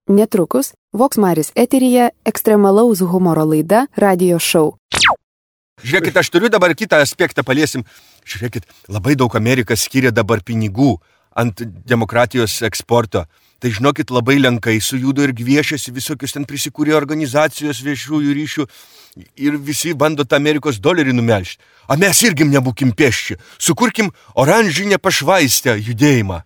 Netrukus Voksmaris eteryje ekstremalaus humoro laida Radio Show. Žiūrėkit, aš turiu dabar kitą aspektą paliesim. Žiūrėkit, labai daug Amerika skiria dabar pinigų ant demokratijos eksporto. Tai žinokit, labai lenkai sujudo ir gviešiasi, visokius ten prisikūrė organizacijos viešųjų ryšių ir visi bando tą Amerikos dolerį numelžti. O mes irgi nebūkim pėsči, sukurkim oranžinę pašvaistę judėjimą.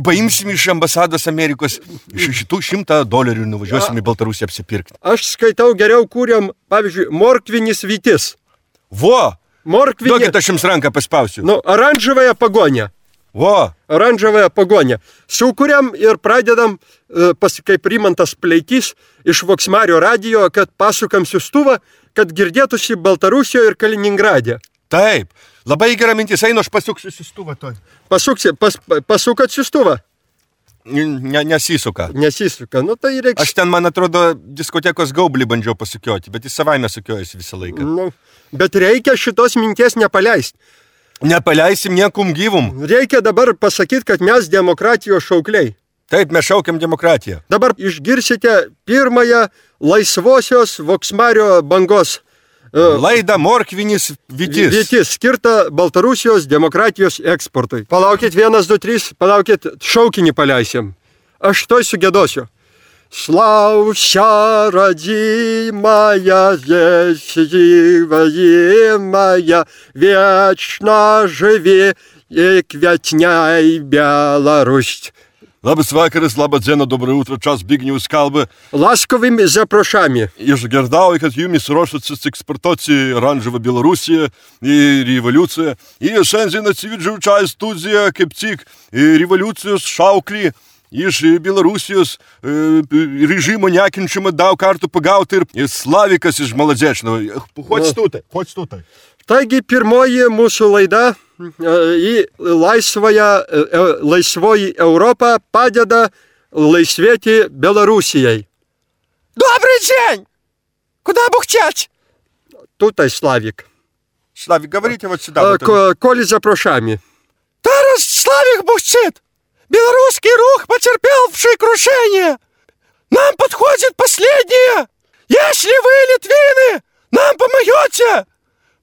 Paimsim iš ambasados Amerikos šitų $100 ir nuvažiuosim į Baltarusiją apsipirkti. Aš skaitau, geriau kūrėm, pavyzdžiui, morkvinis vytis. Vo! Morkvinė... Duokit, aš jums ranką paspausiu. Nu, oranžavąją pagonę. Vo! Oranžavąją pagonę. Sukūrėm ir pradedam, kaip Rimantas Pleikys iš Voksmario radijo, kad pasukam siųstuvą, kad girdėtųsi Baltarusijoje ir Kaliningrade. Taip, labai gera mintis, einu, aš pasuksiu siųstuvą toj. Pasukat siųstuvą? Nesisuka. Nesisuka, nu tai reiks... Aš ten, man atrodo, diskotekos gaublį bandžiau pasukioti, bet jis savaime sukiojasi visą laiką. Nu, bet reikia šitos minties nepaleisti. Nepaleisim niekum gyvum. Reikia dabar pasakyti, kad mes demokratijos šaukliai. Taip, mes šaukiam demokratiją. Dabar išgirsite pirmąją laisvosios Voksmario bangos laidą Morkvinis vytis. Vytis, skirta Baltarusijos demokratijos eksportui. Palaukit, 1, 2, 3, palaukit, šaukinį paleisim. Aš toj sugėdosiu. Славься, родимая, здесь живая, вечно живи и квятняй Беларусь. Labas vakaras, labas diena, доброе утро, čia Zbignius kalba. Ласковыми запрошами. Išgirdau, kad jumis ruošiatės eksportuoti oranžavą Belarusiją į revoliuciją. Ir šiandien atsivedžiau čia į studiją, kaip tik revoliucijos šauklį iš Belarusijos režimo nekinčiamą daug kartų pagauti ir Slavikas iš Maladžečno. Chodź tutaj. Taigi pirmoji mūsų laida į laisvoji Europą padeda laisvėti Belarusijai. Добрый день! Куда бухтять? Tutaj Slavik. Славик, говорите вот сюда. Коли запрошами. Тарас Славик бухтит! Белорусский рух, потерпевший крушение! Нам подходит последнее! Если вы, литвины, нам помоете,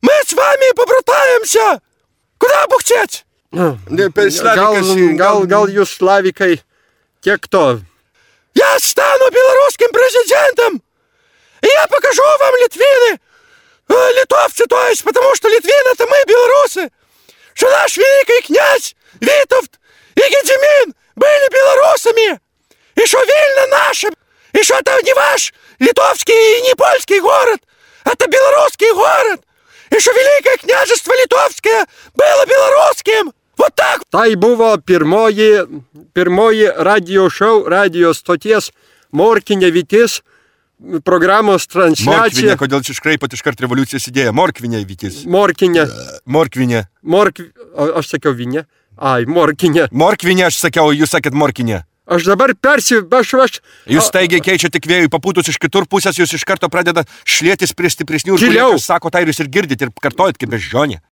мы с вами побратаемся! Куда бухтеть? Gal jūs Slavikai tiek to. Я стану белорусским президентом! И я покажу вам, литвины, литовцы, то есть, потому что литвины это мы, белорусы, что наш великий князь Витовт и Гедемин были белорусами, и что Вильна наша, и что это не ваш литовский и не польский город, это белорусский город, и что Великое княжество Литовское было белорусским. Вот так. Tai buvo pirmoji radio show, radio stoties Morkinė vytis programos transliacija. Morkvinė, kodėl čia iškraipot iškart revoliucijos idėją? Morkvinė vytis. Morkinė. Aš sakiau vinė. Ai, morkinė. Morkvinė, aš sakiau, jūs sakėt morkinė. Aš dabar Jūs staigiai keičiate vėjų papūtus iš kitur pusės, jūs iš karto pradeda šlėtis prie stipresnių Giliau. Žmonės, sako, tai jūs ir girdite ir kartojat kaip beždžionė.